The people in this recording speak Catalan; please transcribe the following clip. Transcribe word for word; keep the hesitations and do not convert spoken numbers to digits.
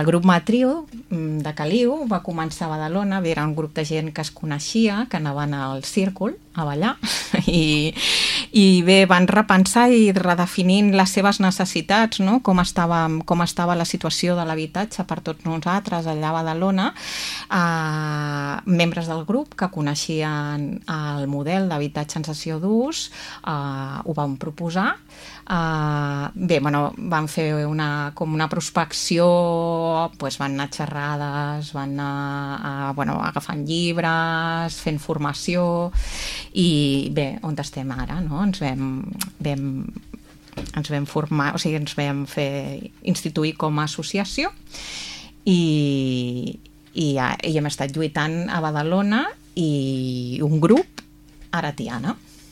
el grup Matriu de Caliu va començar a Badalona, era un grup de gent que es coneixia, que anaven al círcul a ballar i, i bé, van repensar i redefinint les seves necessitats, no? com, estava, com estava la situació de l'habitatge per tots nosaltres allà a Badalona, eh, membres del grup que coneixien el model d'habitatge en cessió d'ús eh, ho van proposar. Uh, bé, bueno, van fer una, com una prospecció, pues van anar a xerrades, van anar a, bueno, agafant llibres, fent formació i bé, on estem ara, no? Ens vam, vam, ens vam formar, o sigui, ens vam fer instituir com a associació i, i, i hem estat lluitant a Badalona i un grup ara a Tiana.